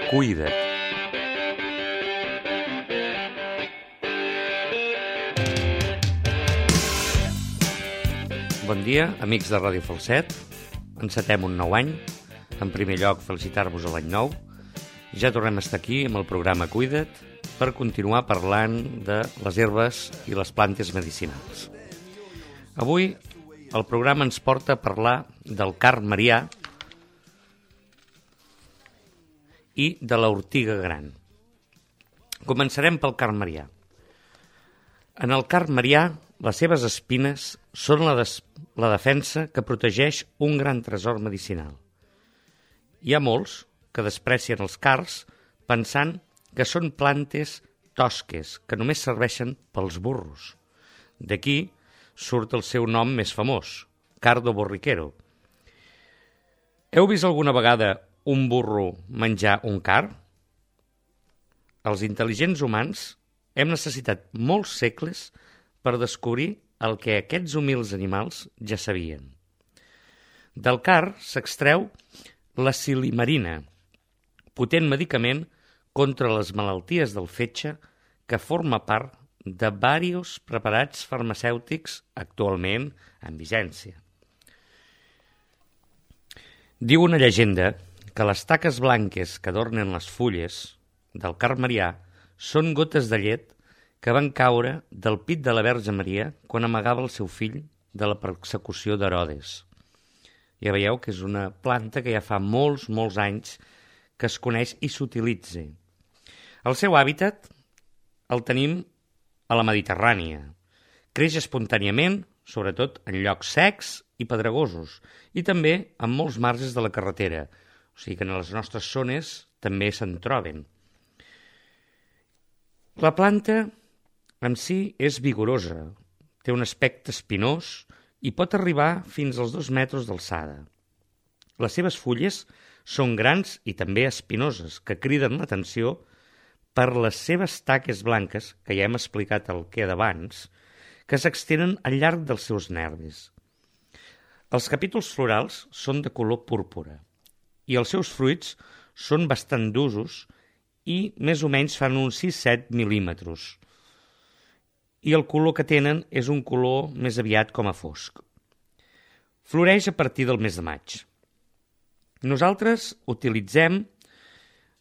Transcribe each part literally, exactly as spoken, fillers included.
Cuida't. Bon dia, amics de Ràdio Falset. Encetem un nou any. En primer lloc, felicitar-vos a l'any nou. Ja tornem a estar aquí amb el programa Cuida't per continuar parlant de les herbes i les plantes medicinals. Avui el programa ens porta a parlar del card marià i de l'ortiga gran. Començarem pel card marià. En el card marià, les seves espines són la, des- la defensa que protegeix un gran tresor medicinal. Hi ha molts que desprecien els cards pensant que són plantes tosques que només serveixen pels burros. D'aquí surt el seu nom més famós, cardo borriquero. Heu vist alguna vegada un burro menjar un card? Els intel·ligents humans hem necessitat molts segles per descobrir el que aquests humils animals ja sabien. Del card s'extreu la silimarina, potent medicament contra les malalties del fetge que forma part de diversos preparats farmacèutics actualment en vigència. Diu una llegenda que les taques blanques que adornen les fulles del card marià són gotes de llet que van caure del pit de la Verge Maria quan amagava el seu fill de la persecució d'Herodes. Ja veieu que és una planta que ja fa molts, molts anys que es coneix i s'utilitza. El seu hàbitat el tenim a la Mediterrània. Creix espontàniament, sobretot en llocs secs i pedregosos, i també en molts marges de la carretera, o sigui que en les nostres zones també se'n troben. La planta en si és vigorosa, té un aspecte espinós i pot arribar fins als dos metres d'alçada. Les seves fulles són grans i també espinoses, que criden l'atenció per les seves taques blanques, que ja hem explicat el que d'abans, que s'extenen al llarg dels seus nervis. Els capítols florals són de color púrpura i els seus fruits són bastant d'usos i més o menys fan uns sis a set mil·límetres. I el color que tenen és un color més aviat com a fosc. Floreix a partir del mes de maig. Nosaltres utilitzem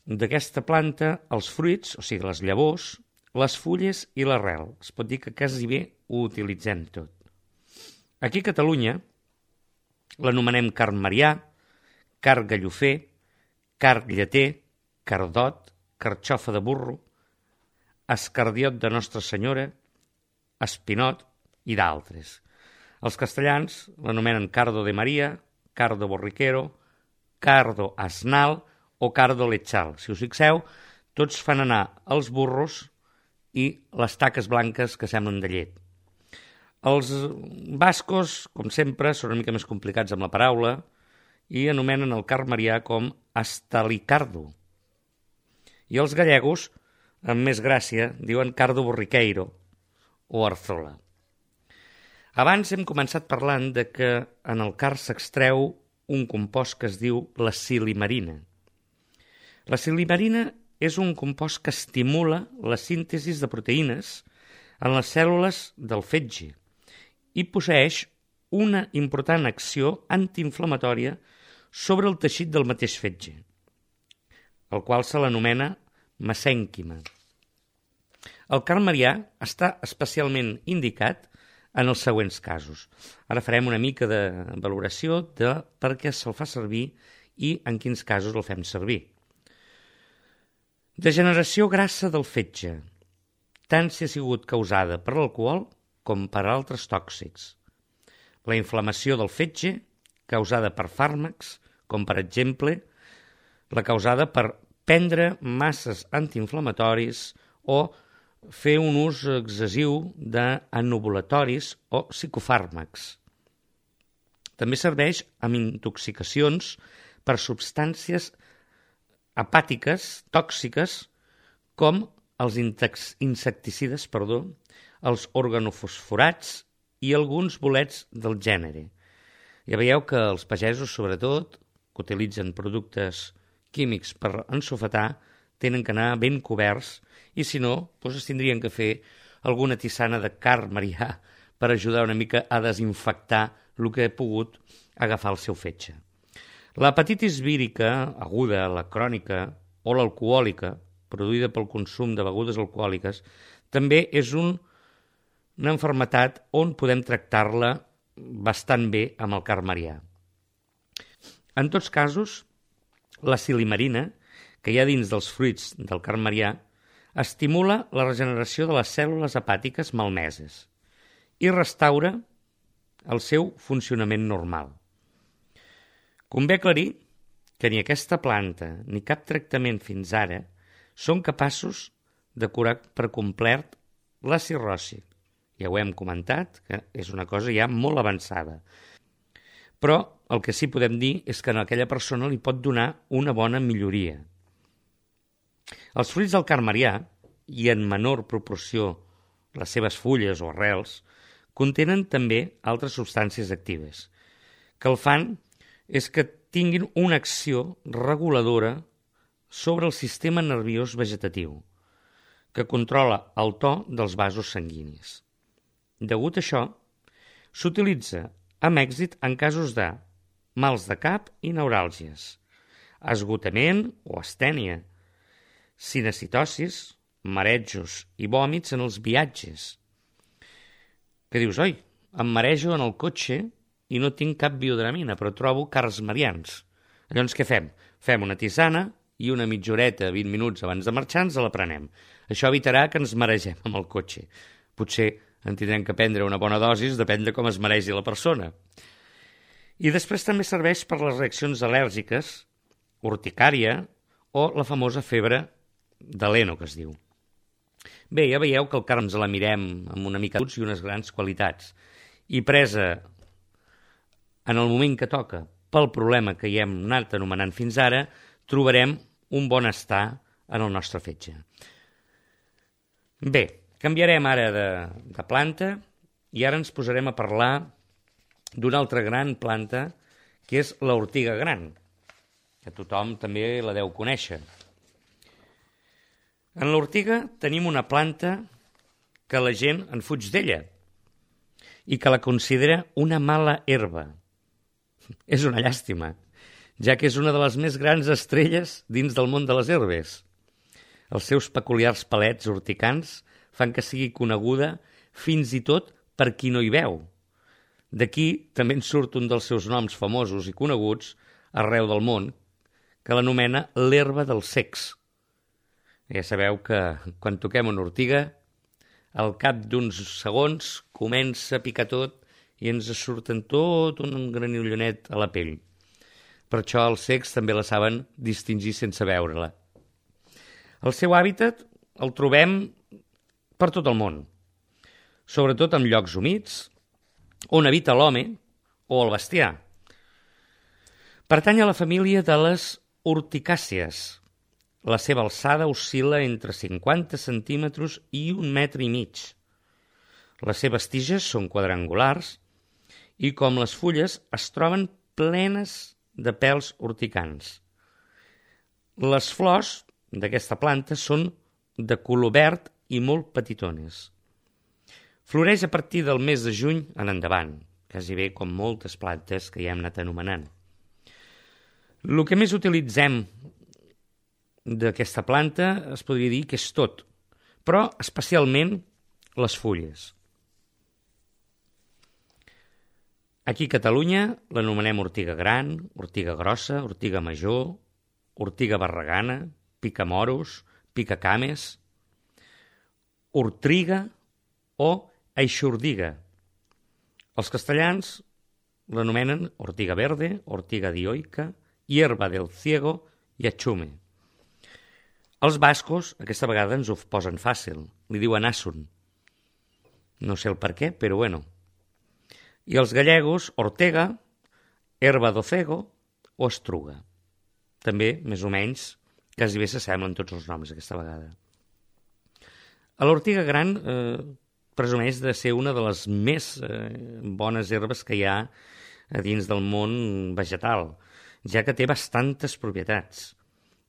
d'aquesta planta els fruits, o sigui les llavors, les fulles i l'arrel. Es pot dir que quasi bé ho utilitzem tot. Aquí a Catalunya l'anomenem card marià, card gallofer, card lleter, cardot, carxofa de burro, escardiot de Nostra Senyora, espinot i d'altres. Els castellans l'anomenen cardo de Maria, cardo borriquero, cardo asnal o cardo lechal. Si us fixeu, tots fan anar els burros i les taques blanques que semblen de llet. Els bascos, com sempre, són una mica més complicats amb la paraula i anomenen el card marià com astalicardo. I els gallegos, amb més gràcia, diuen cardo borriqueiro o arzola. Abans hem començat parlant de que en el card s'extreu un compost que es diu la silimarina. La silimarina és un compost que estimula la síntesi de proteïnes en les cèl·lules del fetge i posseeix una important acció antiinflamatòria sobre el teixit del mateix fetge, el qual se l'anomena mesènquima. El card marià està especialment indicat en els següents casos. Ara farem una mica de valoració de per què se'l fa servir i en quins casos el fem servir. Degeneració grassa del fetge, tant si ha sigut causada per l'alcohol com per altres tòxics. La inflamació del fetge, causada per fàrmacs, com per exemple la causada per prendre masses antiinflamatoris o fer un ús excessiu d'anovulatoris o psicofàrmacs. També serveix amb intoxicacions per substàncies hepàtiques tòxiques com els insecticides, perdó, els organofosforats i alguns bolets del gènere. Ja veieu que els pagesos, sobretot, que utilitzen productes químics per ensofetar tenen que anar ben coberts i si no, doncs es tindrien que fer alguna tisana de carn marià per ajudar una mica a desinfectar el que ha pogut agafar el seu fetge. L'hepatitis vírica aguda, la crònica o l'alcohòlica, produïda pel consum de begudes alcohòliques, també és un, una malaltia on podem tractar-la bastant bé amb el carn marià. En tots casos, la silimarina, que hi ha dins dels fruits del carn marià, estimula la regeneració de les cèl·lules hepàtiques malmeses i restaura el seu funcionament normal. Convé aclarir que ni aquesta planta ni cap tractament fins ara són capaços de curar per complet la cirrosi. Ja ho hem comentat, que és una cosa ja molt avançada. Però el que sí podem dir és que a aquella persona li pot donar una bona milloria. Els fruits del carn marià, i en menor proporció les seves fulles o arrels, contenen també altres substàncies actives, que el fan és que tinguin una acció reguladora sobre el sistema nerviós vegetatiu, que controla el to dels vasos sanguinis. Degut a això, s'utilitza amb èxit en casos de mals de cap i neuràlgies, esgotament o astènia, cinecitosis, marejos i vòmits en els viatges. Que dius, oi, em marejo en el cotxe i no tinc cap biodramina, però trobo carns marians. Llavors què fem? Fem una tisana i una mitja horeta, vint minuts abans de marxar, ens la prenem. Això evitarà que ens maregem amb el cotxe. Potser en tindrem que prendre una bona dosis, depèn de com es maregi la persona. I després també serveix per les reaccions al·lèrgiques, urticària o la famosa febre de l'heno, que es diu. Bé, ja veieu que el carn ens la mirem amb una mica d'uts i unes grans qualitats. I presa en el moment que toca pel problema que hi hem anat anomenant fins ara, trobarem un bon estar en el nostre fetge. Bé, canviarem ara de, de planta i ara ens posarem a parlar d'una altra gran planta, que és l'ortiga gran, que tothom també la deu conèixer. En l'ortiga tenim una planta que la gent en fuig d'ella i que la considera una mala herba. És una llàstima, ja que és una de les més grans estrelles dins del món de les herbes. Els seus peculiars palets urticants fan que sigui coneguda fins i tot per qui no hi veu. D'aquí també en surt un dels seus noms famosos i coneguts arreu del món, que l'anomena l'herba dels cecs. Ja sabeu que quan toquem una ortiga, al cap d'uns segons comença a picar tot i ens surten tot un granullonet a la pell. Per això els cecs també la saben distingir sense veure-la. El seu hàbitat el trobem per tot el món, sobretot en llocs humits, on habita l'home o el bestiar. Pertany a la família de les urticàcies. La seva alçada oscil·la entre cinquanta centímetres i un metre i mig. Les seves tiges són quadrangulars i, com les fulles, es troben plenes de pèls urticants. Les flors d'aquesta planta són de color verd i molt petitones. Floreix a partir del mes de juny en endavant, quasi bé com moltes plantes que ja hem anat anomenant. El que més utilitzem d'aquesta planta es podria dir que és tot, però especialment les fulles. Aquí a Catalunya l'anomenem ortiga gran, ortiga grossa, ortiga major, ortiga barragana, picamoros, picacames, ortriga o eixordiga. Els castellans l'anomenen ortiga verde, ortiga dioica, hierba del ciego i achume. Els bascos aquesta vegada ens ho posen fàcil, li diuen asun. No sé el per què, però bueno. I els gallegos, ortega, herba do cego o estruga. També, més o menys, quasi bé s'assemblen tots els noms aquesta vegada. A l'ortiga gran eh, presumeix de ser una de les més eh, bones herbes que hi ha a dins del món vegetal, ja que té bastantes propietats.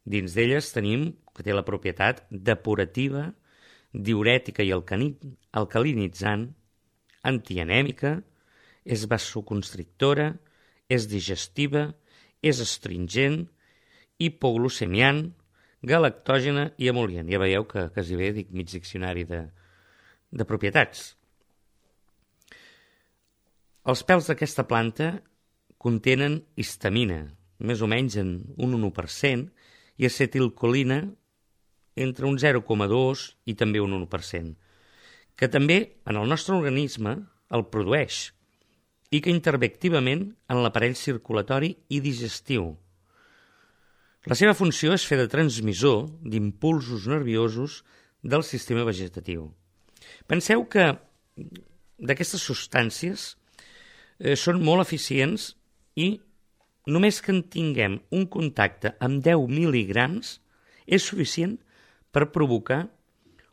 Dins d'elles tenim que té la propietat depurativa, diürètica i alcalinitzant, antianèmica, és vasoconstrictora, és digestiva, és astringent, hipoglucemiant, galactògena i emol·lient. Ja veieu que quasi bé dic mig diccionari de, de propietats. Els pèls d'aquesta planta contenen histamina, més o menys en un u per cent, i acetilcolina entre un zero coma dos i també un u per cent, que també en el nostre organisme el produeix i que intervé activament en l'aparell circulatori i digestiu. La seva funció és fer de transmissor d'impulsos nerviosos del sistema vegetatiu. Penseu que d'aquestes substàncies eh, són molt eficients i només que en tinguem un contacte amb deu mil·ligrams és suficient per provocar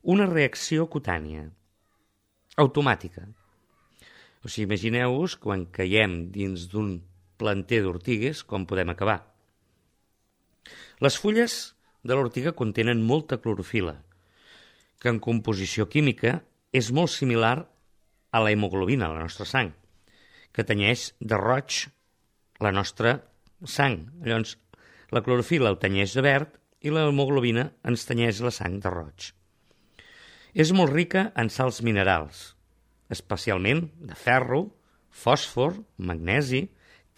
una reacció cutània automàtica. O sigui, imagineu-vos quan caiem dins d'un planter d'ortigues com podem acabar. Les fulles de l'ortiga contenen molta clorofila, que en composició química és molt similar a la hemoglobina, la nostra sang, que tenyeix de roig la nostra sang. Llavors, la clorofila ho tenyeix de verd i l'hemoglobina ens tenyeix la sang de roig. És molt rica en sals minerals, especialment de ferro, fòsfor, magnesi,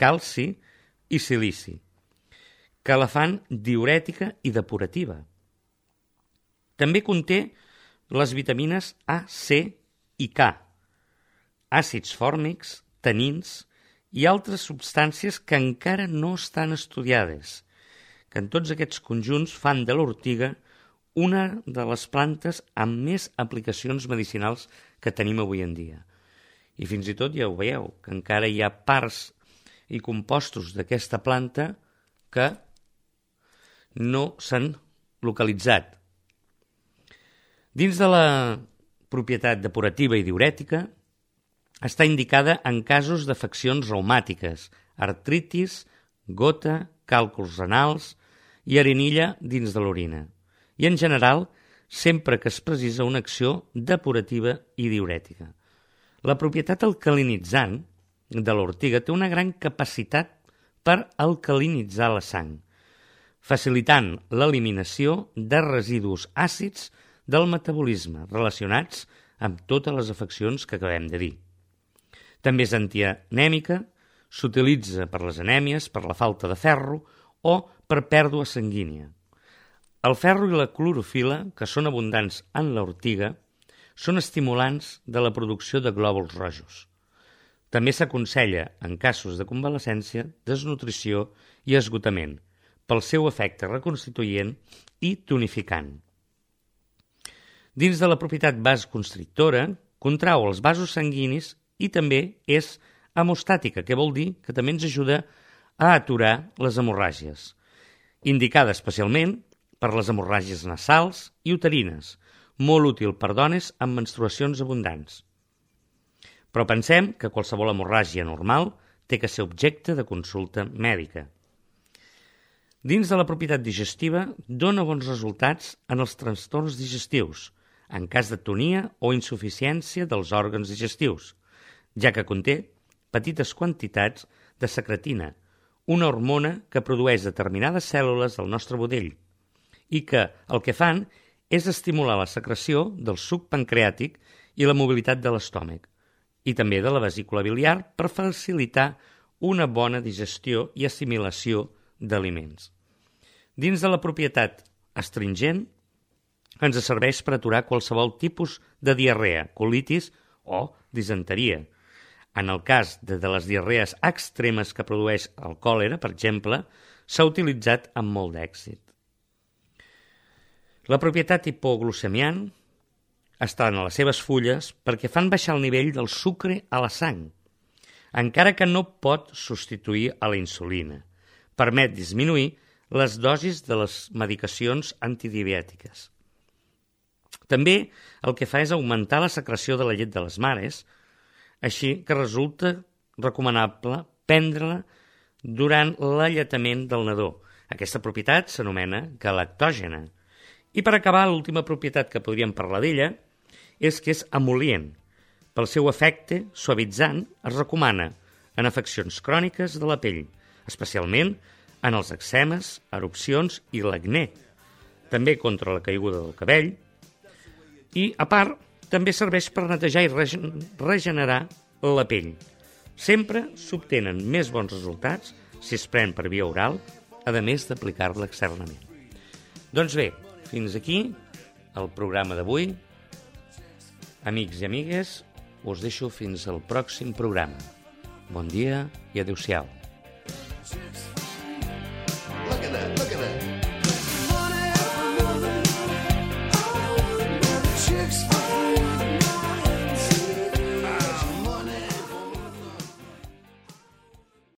calci i silici, que la fan diürètica i depurativa. També conté les vitamines A, C i K, àcids fòrmics, tanins i altres substàncies que encara no estan estudiades, que en tots aquests conjunts fan de l'ortiga una de les plantes amb més aplicacions medicinals que tenim avui en dia. I fins i tot ja ho veieu, que encara hi ha parts i compostos d'aquesta planta que no s'han localitzat. Dins de la propietat depurativa i diürètica, està indicada en casos d'afeccions reumàtiques, artritis, gota, càlculs renals i arenilla dins de l'orina. I en general, sempre que es precisa una acció depurativa i diürètica. La propietat alcalinitzant de l'ortiga té una gran capacitat per alcalinitzar la sang, facilitant l'eliminació de residus àcids del metabolisme relacionats amb totes les afeccions que acabem de dir. També és antianèmica, s'utilitza per les anèmies, per la falta de ferro o per pèrdua sanguínia. El ferro i la clorofila, que són abundants en l'ortiga, són estimulants de la producció de glòbuls rojos. També s'aconsella, en casos de convalescència, desnutrició i esgotament, pel seu efecte reconstituent i tonificant. Dins de la propietat vasoconstrictora, contrau els vasos sanguinis i també és hemostàtica, que vol dir que també ens ajuda a aturar les hemorràgies, indicada especialment per les hemorràgies nasals i uterines, molt útil per dones amb menstruacions abundants. Però pensem que qualsevol hemorràgia normal té que ser objecte de consulta mèdica. Dins de la propietat digestiva, dona bons resultats en els trastorns digestius, en cas d'atonia o insuficiència dels òrgans digestius, ja que conté petites quantitats de secretina, una hormona que produeix determinades cèl·lules del nostre budell i que el que fan és estimular la secreció del suc pancreàtic i la mobilitat de l'estómac i també de la vesícula biliar per facilitar una bona digestió i assimilació d'aliments. Dins de la propietat astringent, ens serveix per aturar qualsevol tipus de diarrea, colitis o disenteria. En el cas de, de les diarrees extremes que produeix el còlera, per exemple, s'ha utilitzat amb molt d'èxit. La propietat hipoglucemiant està en les seves fulles perquè fan baixar el nivell del sucre a la sang, encara que no pot substituir a la insulina. Permet disminuir les dosis de les medicacions antidiabètiques. També el que fa és augmentar la secreció de la llet de les mares, així que resulta recomanable prendre-la durant l'alletament del nadó, Aquesta propietat s'anomena galactògena. I per acabar, l'última propietat que podríem parlar d'ella és que és emol·lient. Pel seu efecte suavitzant es recomana en afeccions cròniques de la pell, especialment en els eczemes, erupcions i l'acné, també contra la caiguda del cabell, i, a part, també serveix per netejar i regenerar la pell. Sempre s'obtenen més bons resultats si es pren per via oral, a més d'aplicar-la externament. Doncs bé, fins aquí el programa d'avui. Amics i amigues, us deixo fins al pròxim programa. Bon dia i adéu-siau.